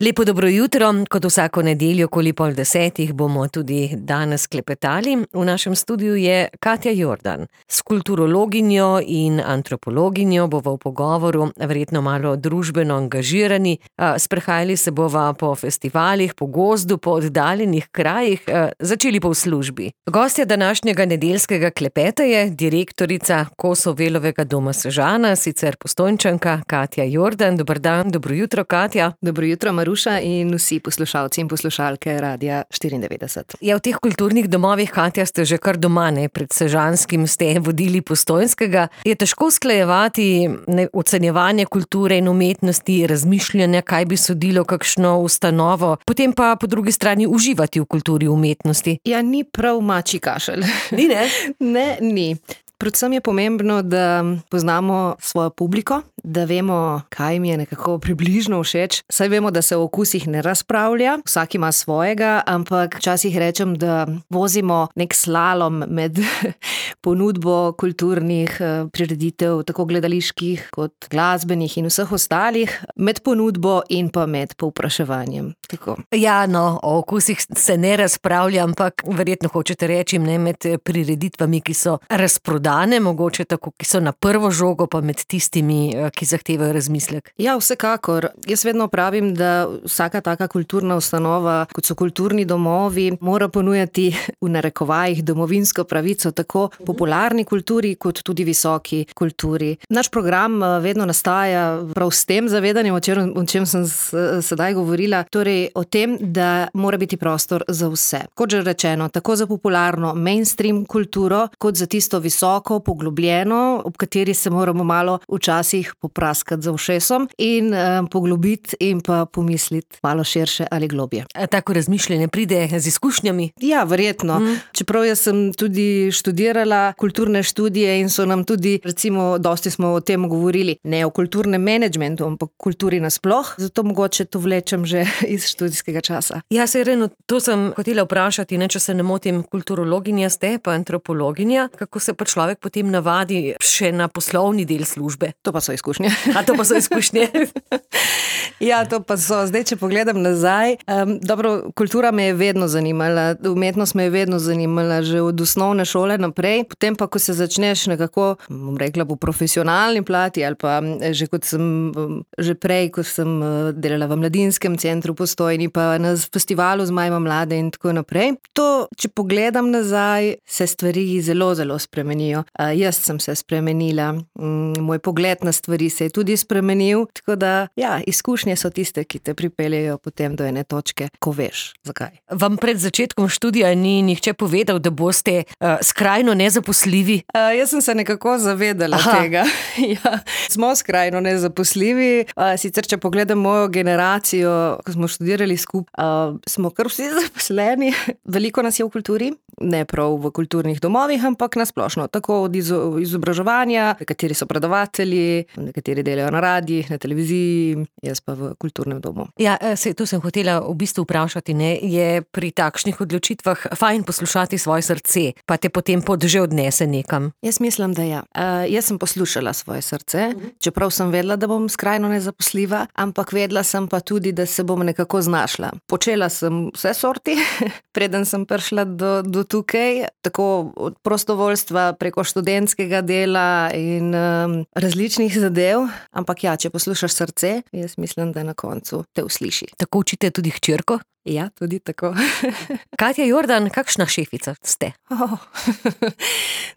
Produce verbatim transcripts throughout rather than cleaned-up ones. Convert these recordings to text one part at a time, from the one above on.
Lepo dobro jutro, kot vsako nedeljo okoli pol desetih bomo tudi danes klepetali. V našem studiu je Katja Jordan. S kulturologinjo in antropologinjo bova v pogovoru verjetno malo družbeno angažirani. Sprehajali se bova po festivalih, po gozdu, po oddaljenih krajih, začeli pa v službi. Gostja današnjega nedeljskega klepeta je direktorica Kosovelovega doma Sežana, sicer Postojnčanka Katja Jordan. Dober dan, dobro jutro, Katja. Dobro jutro, Maruša in vsi poslušalci in poslušalke Radia štiriindevetdeset. Ja, v teh kulturnih domovih, Katja, ste že kar doma, ne? Pred Sežanskim ste vodili Postojnskega. Je težko usklajevati ocenjevanje kulture in umetnosti, razmišljanja, kaj bi sodilo kakšno ustanovo, potem pa po drugi strani uživati v kulturi in umetnosti? Ja, ni prav mačji kašelj. Ni, ne? Ne, ni. Predvsem je pomembno, da poznamo svojo publiko, da vemo, kaj mi je nekako približno všeč. Saj vemo, da se o okusih ne razpravlja, vsak ima svojega, ampak včasih rečem, da vozimo nek slalom med ponudbo kulturnih prireditev, tako gledaliških kot glasbenih in vseh ostalih, med ponudbo in pa med povpraševanjem. Tako. Ja, no, o okusih se ne razpravlja, ampak verjetno hočete reči, ne, med prireditvami, ki so razprodane, mogoče tako, ki so na prvo žogo, pa med tistimi, ki zahtevajo razmislek. Ja, vsekakor. Jaz vedno pravim, da vsaka taka kulturna ustanova, kot so kulturni domovi, mora ponujati v narekovajih domovinsko pravico tako popularni kulturi, kot tudi visoki kulturi. Naš program vedno nastaja prav s tem zavedanjem, o čem, o čem sem sedaj govorila, torej o tem, da mora biti prostor za vse. Kot že rečeno, tako za popularno mainstream kulturo, kot za tisto visoko, poglobljeno, ob kateri se moramo malo včasih popraskati za ušesom in um, poglobiti in pa pomisliti malo širše ali globje. A tako razmišljanje pride z izkušnjami? Ja, verjetno. Mm. Čeprav jaz sem tudi študirala kulturne študije in so nam tudi, recimo, dosti smo o tem govorili, ne o kulturnem menedžmentu, ampak kulturi nasploh, zato mogoče to vlečem že iz študijskega časa. Ja, se Reno, to sem hotela vprašati, ne, če se ne motim, kulturologinja ste, pa antropologinja, kako se pa človek potem navadi še na poslovni del službe? To pa so izkušnje. A to pa so izkušnje? Ja, to pa so. Zdaj, če pogledam nazaj, um, dobro, kultura me je vedno zanimala, umetnost me je vedno zanimala, že od osnovne šole naprej, potem pa, ko se začneš nekako, bom rekla, po profesionalni plati ali pa že kot sem, že prej, ko sem delala v mladinskem centru Postojni, pa na festivalu z Majma mlade in tako naprej. To, če pogledam nazaj, se stvari zelo, zelo spremenijo. Uh, jaz sem se spremenila, um, moj pogled na stvari se je tudi spremenil, tako da, ja, izkušnje so tiste, ki te pripeljejo potem do ene točke, ko veš, zakaj. Vam pred začetkom študija ni nihče povedal, da boste uh, skrajno nezaposljivi? Uh, jaz sem se nekako zavedala Aha. tega. Ja, smo skrajno nezaposljivi, uh, sicer če pogledam mojo generacijo, ko smo študirali skupaj, uh, smo kar vsi zaposleni. Veliko nas je v kulturi, ne prav v kulturnih domovih, ampak nasplošno, tako od izobraževanja, nekateri so predavatelji, nekateri delajo na radijih, na televiziji, jaz pa v kulturnem domu. Ja, se, to sem hotela v bistvu vprašati, ne, je pri takšnih odločitvah fajn poslušati svoje srce, pa te potem pot že odnese nekam? Jaz mislim, da ja. Uh, jaz sem poslušala svoje srce, čeprav sem vedela, da bom skrajno nezaposljiva, ampak vedela sem pa tudi, da se bom nekako znašla. Počela sem vse sorti, preden sem prišla do, do tukaj, tako od prostovoljstva preko študentskega dela in um, različnih zadev, ampak ja, če poslušaš srce, jaz mislim, da na koncu te usliši. Tako učite tudi hčerko? Ja, tudi tako. Katja Jordan, kakšna šefica ste? Oh,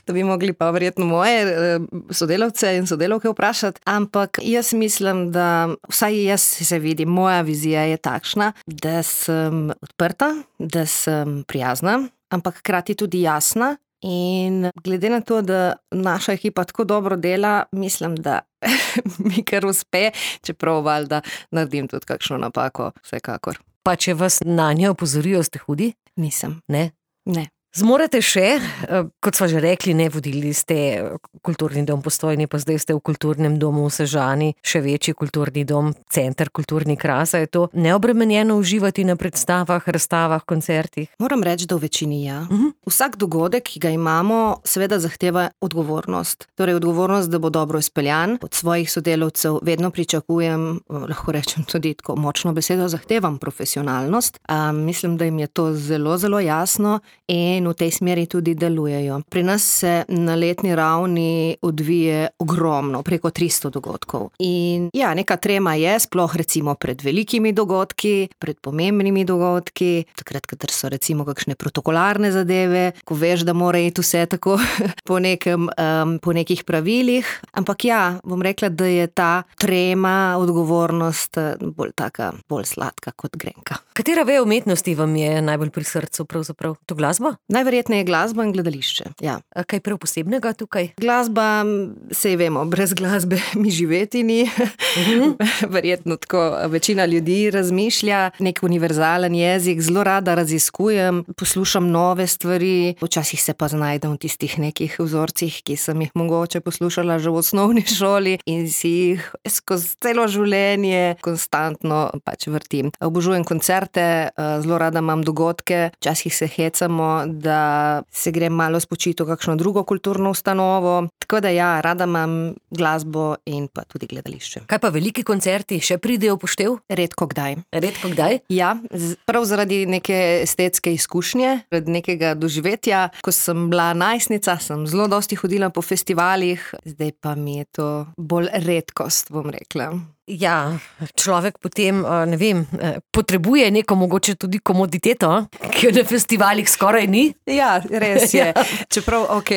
to bi mogli pa verjetno moje sodelavce in sodelavke vprašati, ampak jaz mislim, da vsaj jaz se vidim, moja vizija je takšna, da sem odprta, da sem prijazna, ampak hkrati tudi jasna. In glede na to, da naša ekipa tako dobro dela, mislim, da mi kar uspe, čeprav valjda naredim tudi kakšno napako, vsekakor. Pa če vas na njo opozorijo, ste hudi? Nisem. Ne? Ne. Zmorete še, kot sva že rekli, ne, vodili ste kulturni dom Postojni, pa zdaj ste v kulturnem domu v Sežani, še večji kulturni dom, center Kulturni Krasa. Je to neobremenjeno uživati na predstavah, razstavah, koncertih? Moram reči, da v večini ja. Uh-huh. Vsak dogodek, ki ga imamo, seveda zahteva odgovornost. Torej odgovornost, da bo dobro izpeljan. Od svojih sodelavcev vedno pričakujem, lahko rečem tudi tako močno besedo, zahtevam profesionalnost. Um, mislim, da jim je to zelo, zelo jasno in in v tej smeri tudi delujejo. Pri nas se na letni ravni odvije ogromno, preko tristo dogodkov. In ja, neka trema je, sploh recimo pred velikimi dogodki, pred pomembnimi dogodki, takrat, kadar so recimo kakšne protokolarne zadeve, ko veš, da mora iti vse tako po nekem, um, po nekih pravilih. Ampak ja, bom rekla, da je ta trema, odgovornost bolj taka, bolj sladka kot grenka. Katera veja umetnosti vam je najbolj pri srcu pravzaprav? To glasba? Najverjetneje glasba in gledališče, ja. A kaj prav posebnega tukaj? Glasba, sej vemo, brez glasbe mi živeti ni. Uh-huh. Verjetno tako večina ljudi razmišlja, nek univerzalen jezik, zelo rada raziskujem, poslušam nove stvari, včasih se pa znajdem v tistih nekih vzorcih, ki sem jih mogoče poslušala že v osnovni šoli in si jih skozi celo življenje konstantno pač vrtim. Obožujem koncerte, zelo rada imam dogodke, včasih se hecamo, da se grem malo spočiti v kakšno drugo kulturno ustanovo. Tako da ja, rada imam glasbo in pa tudi gledališče. Kaj pa veliki koncerti še pridejo v poštev? Redko kdaj. Redko kdaj? Ja, prav zaradi neke estetske izkušnje, zaradi nekega doživetja. Ko sem bila najstnica, sem zelo dosti hodila po festivalih, zdaj pa mi je to bolj redkost, bom rekla. Ja, človek potem, ne vem, potrebuje neko mogoče tudi komoditeto, ki jo na festivalih skoraj ni. Ja, res je. Čeprav, ok,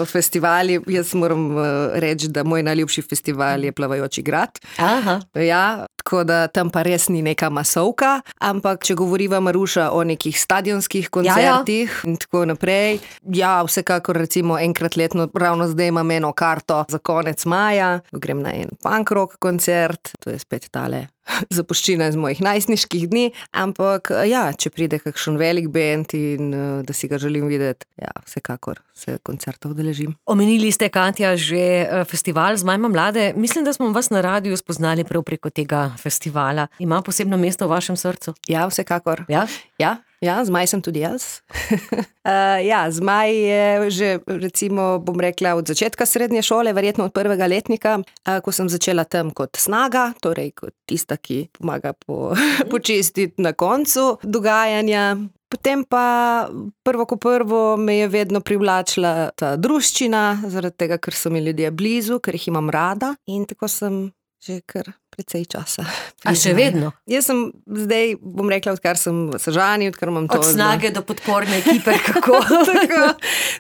festivali, jaz moram reči, da moj najljubši festival je Plavajoči grad. Aha. Ja, tako da tam pa res ni neka masovka, ampak če govoriva Maruša o nekih stadionskih koncertih ja, ja. in tako naprej, ja, vsekakor recimo enkrat letno, ravno zdaj imam eno karto za konec maja, grem na en punk rock koncert, to je spet tale zapuščina iz mojih najstniških dni, ampak ja, če pride kakšen velik band in da si ga želim videti, ja, vsekakor se koncertov udeležim. Omenili ste, Katja, že festival Zmajma mlade. Mislim, da smo vas na radiju spoznali prav preko tega festivala. Ima posebno mesto v vašem srcu? Ja, vsekakor. Ja? Ja. Ja, Zmaj sem tudi jaz. uh, ja, Zmaj je že, recimo, bom rekla, od začetka srednje šole, verjetno od prvega letnika, uh, ko sem začela tam kot snaga, torej kot tista, ki pomaga po, počistiti na koncu dogajanja. Potem pa prvo ko prvo me je vedno privlačila ta druščina, zaradi tega, ker so mi ljudje blizu, ker jih imam rada in tako sem že kar precej časa. A še vedno? Jaz sem zdaj, bom rekla, odkar sem v Sežani, odkar imam to... Od snage do podporne ekipe, kako? tako,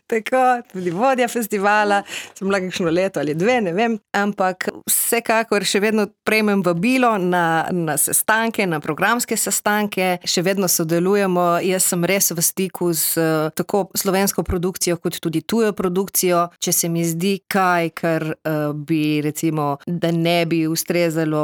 tako, tudi vodja festivala, sem bila kakšno leto ali dve, ne vem, ampak vsekakor še vedno prejmem vabilo na, na sestanke, na programske sestanke, še vedno sodelujemo, jaz sem res v stiku z tako slovensko produkcijo, kot tudi tujo produkcijo, če se mi zdi kaj, kar uh, bi recimo, da ne bi ustrezalo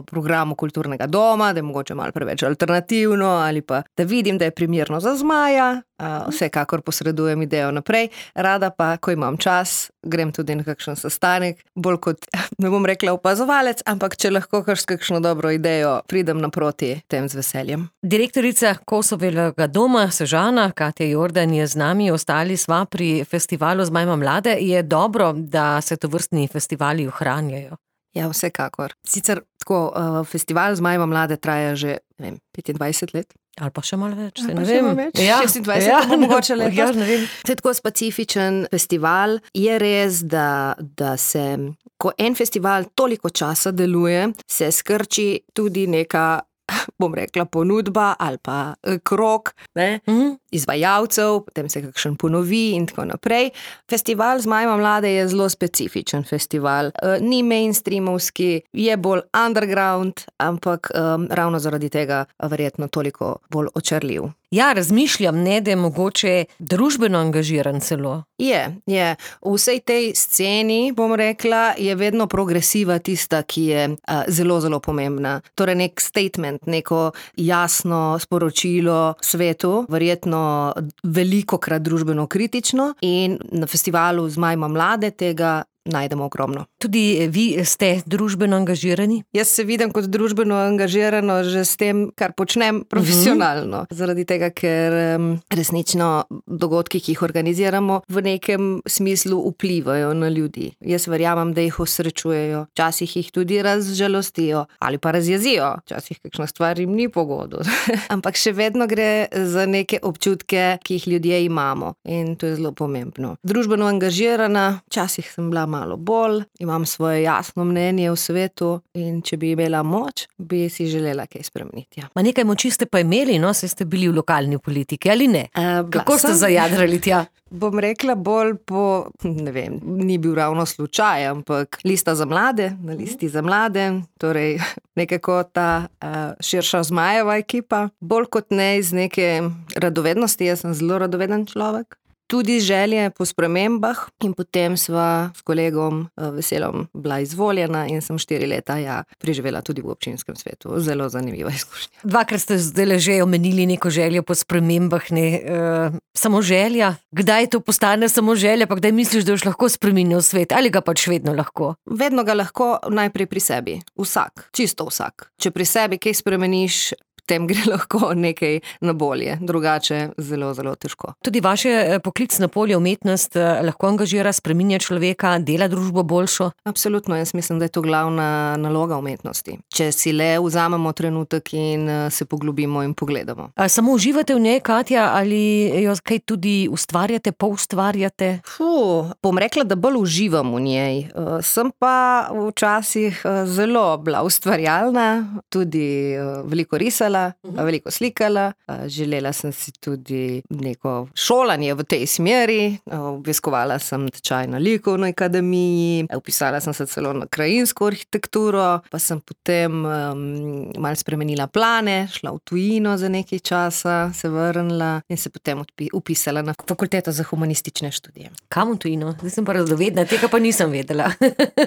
programu kulturnega doma, da je mogoče malo preveč alternativno ali pa da vidim, da je primerno za Zmaja, vsekakor posredujem idejo naprej. Rada pa, ko imam čas, grem tudi na kakšen sestanek, bolj kot, ne bom rekla opazovalec, ampak če lahko kar s kakšno dobro idejo pridem naproti, tem z veseljem. Direktorica Kosovega doma Sežana, Katja Jordan, je z nami, ostali sva pri festivalu Zmajma mlade. Je dobro, da se tovrstni festivali ohranjajo? Ja, vsekakor. Sicer tako, uh, festival Zmajma mlade traja že, ne vem, petindvajset let. Ali pa še malo več, se ne vem. Več. Ja, šestindvajset, ja, mogoče letos. Ja, ne vem. To je tako specifičen festival. Je res, da, da se, ko en festival toliko časa deluje, se skrči tudi neka, bom rekla, ponudba ali pa krog, ne, mm-hmm. izvajalcev, potem se kakšen ponovi in tako naprej. Festival Zmajma mlade je zelo specifičen festival. E, ni mainstreamovski, je bolj underground, ampak um, ravno zaradi tega verjetno toliko bolj očarljiv. Ja, razmišljam, ne, da je mogoče družbeno angažiran celo. Je, je. V vsej tej sceni, bom rekla, je vedno progresiva tista, ki je a, zelo, zelo pomembna. Torej nek statement, neko jasno sporočilo svetu, verjetno vedno velikokrat družbeno kritično in na festivalu Zmaj ima mlade tega najdemo ogromno. Tudi vi ste družbeno angažirani? Jaz se vidim kot družbeno angažirano že s tem, kar počnem profesionalno. Uh-huh. Zaradi tega, ker um, resnično dogodki, ki jih organiziramo, v nekem smislu vplivajo na ljudi. Jaz verjamem, da jih osrečujejo, včasih jih tudi razžalostijo ali pa razjezijo, včasih kakšna stvar jim ni pogodu. Ampak še vedno gre za neke občutke, ki jih ljudje imamo in to je zelo pomembno. Družbeno angažirana, včasih sem bila malo bolj, imam svoje jasno mnenje v svetu in če bi imela moč, bi si želela kaj spremeniti. Ja. Ma nekaj moči ste pa imeli, no, se ste bili v lokalni politiki, ali ne? Uh, Kako ste zajadrali tja? Bom rekla bolj po, ne vem, ni bil ravno slučaj, ampak lista za mlade, na listi za mlade, torej nekako ta uh, širša Zmajeva ekipa, bolj kot ne iz neke radovednosti, jaz sem zelo radoveden človek. Tudi želje po spremembah in potem sva s kolegom Veselom bila izvoljena in sem štiri leta ja, preživela tudi v občinskem svetu. Zelo zanimiva izkušnja. Dvakrat ste zdaj že omenili neko željo po spremembah, ne, uh, samo želja. Kdaj to postane samo želja, pa kdaj misliš, da boš lahko spremenil svet ali ga pač vedno lahko? Vedno ga lahko najprej pri sebi. Vsak, čisto vsak. Če pri sebi kaj spremeniš, tem gre lahko nekaj na bolje, drugače zelo, zelo težko. Tudi vaše poklicno polje umetnost lahko angažira, spreminja človeka, dela družbo boljšo? Absolutno, jaz mislim, da je to glavna naloga umetnosti. Če si le vzamemo trenutek in se poglobimo in pogledamo. A samo uživate v njej, Katja, ali jo kaj tudi ustvarjate, poustvarjate? Fuh, bom rekla, da bolj uživam v njej. Sem pa včasih zelo bila ustvarjalna, tudi veliko risala, veliko slikala, želela sem si tudi neko šolanje v tej smeri, obiskovala sem tečaj na likovni akademiji, upisala sem se celo na krajinsko arhitekturo, pa sem potem um, malo spremenila plane, šla v tujino za nekaj časa, se vrnila in se potem upisala na fakulteto za humanistične študije. Kam v tujino? Zdaj sem pa radovedna, tega pa nisem vedela.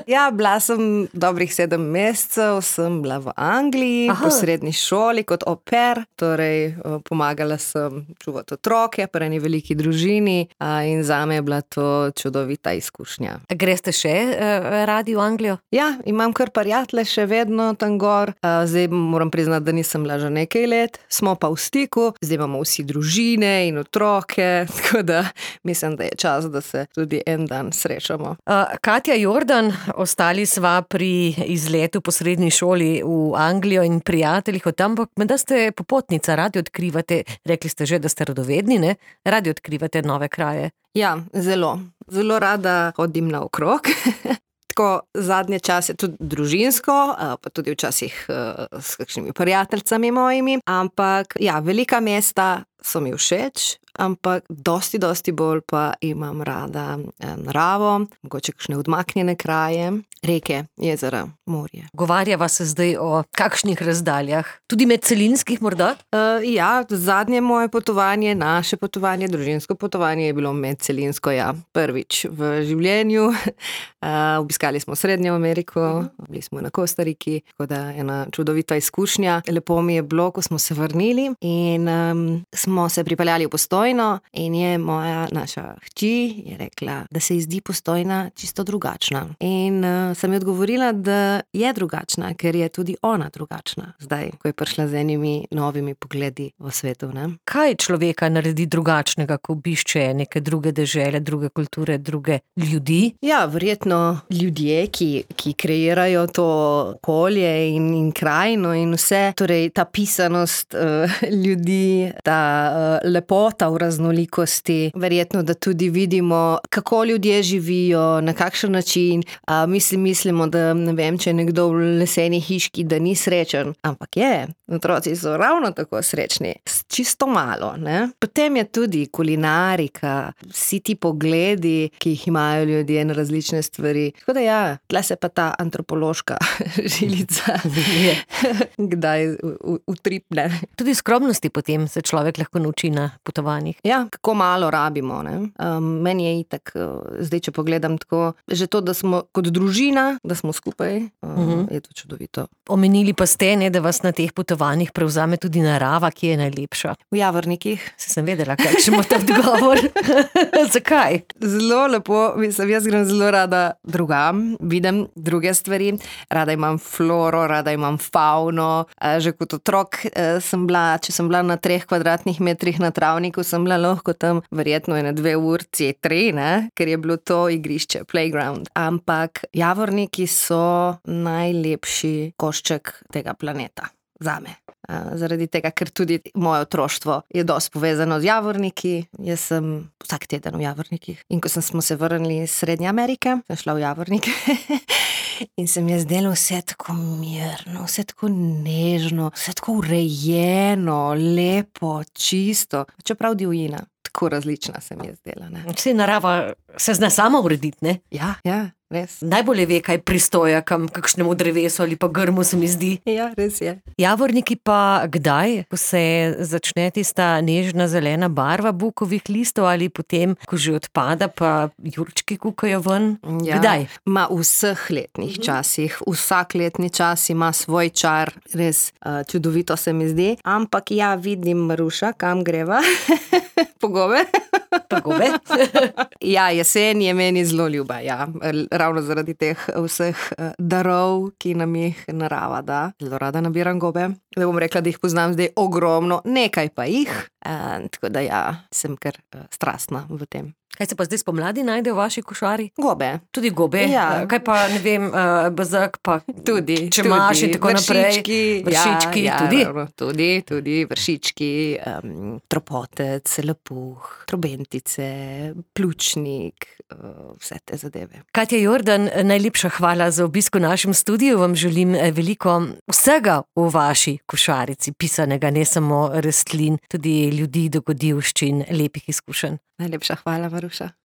Ja, bila sem dobrih sedem mesecev, sem bila v Angliji, Aha. po srednji šoli, kot au pair, torej pomagala sem čuvati otroke pri eni veliki družini in zame je bila to čudovita izkušnja. Greste še radi v Anglijo? Ja, imam kar prijatelje še vedno tam gor. Zdaj moram priznati, da nisem bila že nekaj let, smo pa v stiku, zdaj imamo vsi družine in otroke, tako da mislim, da je čas, da se tudi en dan srečamo. Katja Jordan, ostali sva pri izletu po srednji šoli v Anglijo in prijateljih od tam, da ste popotnica, radi odkrivate, rekli ste že, da ste radovedni, ne? Radi odkrivate nove kraje. Ja, zelo. Zelo rada hodim naokrog. Tako zadnje čase tudi družinsko, pa tudi včasih s kakšnimi prijateljcami mojimi, ampak ja, velika mesta so mi všeč, ampak dosti, dosti bolj pa imam rada naravo, mogoče kakšne odmaknjene kraje, reke, jezera, morje. Govarjava se zdaj o kakšnih razdaljah? Tudi medcelinskih morda? Uh, ja, zadnje moje potovanje, naše potovanje, družinsko potovanje je bilo medcelinsko, ja, prvič v življenju. Uh, obiskali smo Srednjo Ameriko, bili smo na Kostariki, tako da ena čudovita izkušnja. Lepo mi je bilo, ko smo se vrnili in um, smo se pripeljali v Postojno in je moja naša hči je rekla, da se ji zdi Postojna čisto drugačna. In uh, sem ji odgovorila, da je drugačna, ker je tudi ona drugačna. Zdaj, ko je prišla z enimi novimi pogledi v svetu, ne? Kaj človeka naredi drugačnega, ko obišče neke druge dežele, druge kulture, druge ljudi? Ja, verjetno ljudje, ki, ki kreirajo to okolje in, in krajino in vse, torej ta pisanost uh, ljudi, ta uh, lepota v raznolikosti, verjetno, da tudi vidimo, kako ljudje živijo, na kakšen način. Uh, mislim, mislimo, da ne vem, če je nekdo v leseni hiški, da ni srečen, ampak je. Otroci so ravno tako srečni, čisto malo, ne? Potem je tudi kulinarika, vsi ti pogledi, ki jih imajo ljudje na različne stvari. Tako da ja, tle se pa ta antropološka žilica kdaj utripne. Tudi skromnosti potem se človek lahko nauči na potovanjih. Ja, kako malo rabimo, ne? Um, meni je itak, zdaj če pogledam tako, že to, da smo kot družina, da smo skupaj, um, uh-huh. je to čudovito. Omenili pa ste, ne, da vas na teh potovanjih prevzame tudi narava, ki je najlepša. najljubša? V Javornikih. Se sem vedela, kakšen bo ta odgovor. Zakaj? Zelo lepo, mislim, jaz grem zelo rada drugam, vidim druge stvari, rada imam floro, rada imam fauno. Že kot otrok sem bila, če sem bila na treh kvadratnih metrih na travniku, sem bila lahko tam verjetno ene dve urci, tri, ne? Ker je bilo to igrišče, playground. Ampak Javorniki so najlepši košček tega planeta. Zame. Zaradi tega, ker tudi moje otroštvo je dosti povezano z Javorniki. Jaz sem vsak teden v Javornikih. In ko sem, smo se vrnili iz Srednje Amerike, sem šla v Javornike in se mi je zdelo vse tako mirno, vse tako nežno, vse tako urejeno, lepo, čisto. Čeprav divjina, tako različna se mi je zdela. Ne? Vse narava se zna sama urediti, ne? Ja, ja. Res. Najbolje ve, kaj pristoja kam kakšnemu drevesu ali pa grmu, se mi zdi. Ja, res je. Javorniki pa kdaj, ko se začne tista nežna zelena barva bukovih listov ali potem, ko že odpada, pa jurčki kukajo ven? Ja. Kdaj? Ma v vseh letnih časih. Vsak letni čas ima svoj čar. Res uh, čudovito se mi zdi. Ampak ja, vidim, Maruša, kam greva? Po gobe? Po gobe? Ja, jesen je meni zelo ljuba, ja. Ravno zaradi teh vseh darov, ki nam jih narava da. Zelo rada nabiram gobe. Da bom rekla, da jih poznam zdaj ogromno, nekaj pa jih. Uh, tako da ja, sem kar uh, strastna v tem. Kaj se pa zdaj spomladi najde v vaši košari? Gobe. Tudi gobe? Ja. Kaj pa, ne vem, uh, bezak pa tudi, čemaš in tako naprej? Vršički. Vršički, ja, tudi? Ja, tudi, tudi vršički, um, tropotec, lepuh, trobentice, pljučnik, uh, vse te zadeve. Katja Jordan, najlepša hvala za obisk v našem studiu. Vam želim veliko vsega v vaši košarici, pisanega, ne samo rastlin, tudi ljudi, dogodivščin, lepih izkušenj. Najlepša hvala, Maruša.